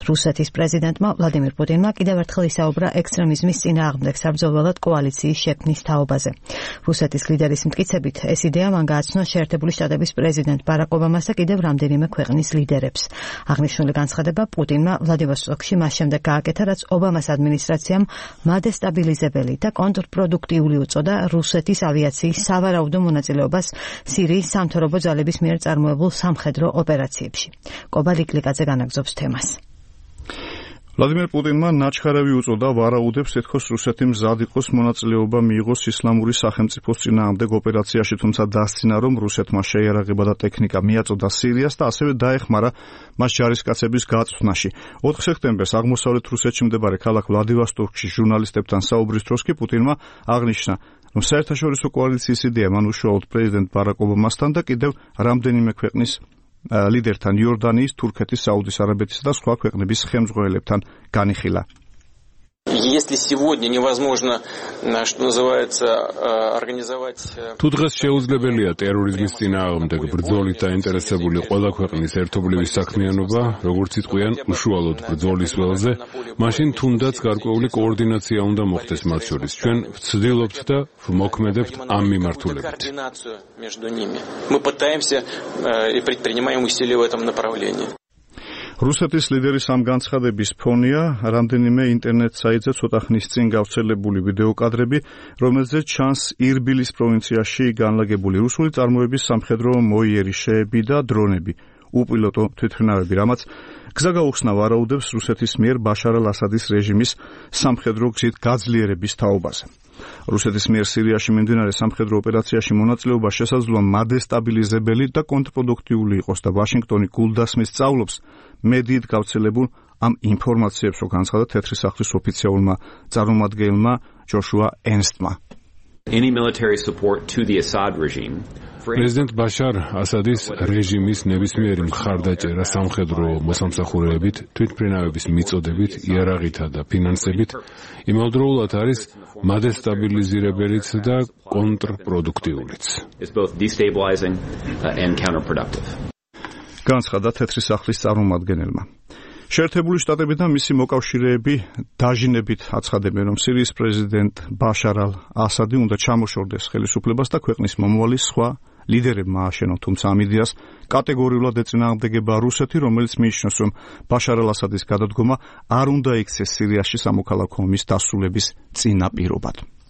რუსეთის პრეზიდენტმა ვლადიმირ პუტინმა კიდევ ერთხელ ისაუბრა ექსტრემიზმის წინააღმდეგ საბრძოლველად კოალიციის შექმნის თაობაზე. რუსეთის ლიდერის მტკიცებით, ეს იდეა მან გააცნო შეერთებული შტატების პრეზიდენტ ბარაკ ობამას და კიდევ რამდენიმე ქვეყნის ლიდერებს. აღნიშნული განცხადება პუტინმა ვლადივოსტოკში მას შემდეგ გააკეთა, რაც ობამას ადმინისტრაციამ მადესტაბილიზებელი და კონტრპროდუქტიული უწოდა რუსეთის ავიაციის სავარაუდო მონაწილეობას სირიის სამთავრობო ძალების მიერ წარმოებულ სამხედრო ოპერაციებში. კობა ლიკლიკაძე განაგრძობს თემას. ვლადიმერ პუტინმა ნაჩქარევი უწოდა ვარაუდებს ეთქოს რუსეთი მზად იყოს მონაწილეობა მიიღოს ისლამური სახელმწიფოს წინააღმდეგ ოპერაციაში, თუმცა დასცინა, რომ რუსეთმა შეიარაღება და ტექნიკა მიაწოდა სირიას და ასევე დაეხმარა მას ჯარისკაცების გაწვდნაში. 4 სექტემბერს აღმოსავლეთ რუსეთში მდებარე ქალაქ ვლადივოსტოკში ჟურნალისტებთან საუბრის დროს კი პუტინმა აღნიშნა, რომ საერთაშორისო კოალიციის იდეა მან უშუალოდ პრეზიდენტ ბარაკ ობამასთან და კიდევ რამდენიმე ქვეყნის ლიდერთან იორდანიის, თურქეთის, საუდის არაბეთისა და სხვა ქვეყნების ხელმძღვანელებთან განიხილა. Если сегодня невозможно, что называется, организовать... თუ დღეს შეუძლებელია ტერორიზმის წინააღმდეგ ბრძოლით დაინტერესებული ყველა ქვეყნის ერთობლივი საქმიანობა, როგორც იტყვიან, უშუალოდ ბრძოლის ველზე, მაშინ თუნდაც გარკვეული კოორდინაცია უნდა მოხდეს მათ შორის. ჩვენ ვცდილობთ და ვმოქმედებთ ამ მიმართულებით. Мы пытаемся и предпринимаем усилия в этом направлении. რუსეთის ლიდერის ამ განცხადების ფონია რამდენიმე ინტერნეტ საიტზე ცოტა ხნის წინ გავრცელებული ვიდეო კადრები, რომელზეც ჩანს ირბილის პროვინციაში განლაგებული რუსული წარმოების სამხედრო მოიერიშეები და დრონები, უპილოტო თვითმფრინავები, რამაც გზა გაუხსნა ვარაუდებს რუსეთის მიერ ბაშარ ალ-ასადის რეჟიმის სამხედრო გზით გაძლიერების თაობაზე. რუსეთის მიერ სირიაში მიმდინარე სამხედრო ოპერაციაში მონაწილეობა შესაძლოა მადესტაბილიზებელი და კონტრპროდუქტიული იყოს და ვაშინგტონი გულდასმის სწავლობს მედიით გავრცელებულ ამ ინფორმაციებს, რო განცხადა თეთრი სახლის ოფიციალურმა წარმომადგენელმა ჯოშუა ერნსტმა. Any military support to the Assad regime პრეზიდენტ ბაშარ ასადის რეჟიმის ნებისმიერი მხარდაჭერა სამხედრო მოსამსახურეებით, თვითმფრინავების მიწოდებით, იარაღითა და ფინანსებით იმავდროულად არის მადესტაბილიზირებელიც და კონტრპროდუქტიულიც. განცხადა თეთრი სახლის წარმომადგენელმა. შეერთებული შტატები და მისი მოკავშირეები დაჟინებით აცხადებენ, რომ სირიის პრეზიდენტ ბაშარ ალ-ასადი უნდა ჩამოშორდეს ხელისუფლებას და ქვეყნის მომავალი სხვა ლიდერებმა ააშენონ, თუმცა ამ იდეას კატეგორიულად ეწინააღმდეგება რუსეთი, რომელიც მიიჩნევს, რომ ბაშარ ალ-ასადის გადადგომა არ უნდა იქცეს სირიაში სამოქალაქო ომის დასრულების წინაპირობად.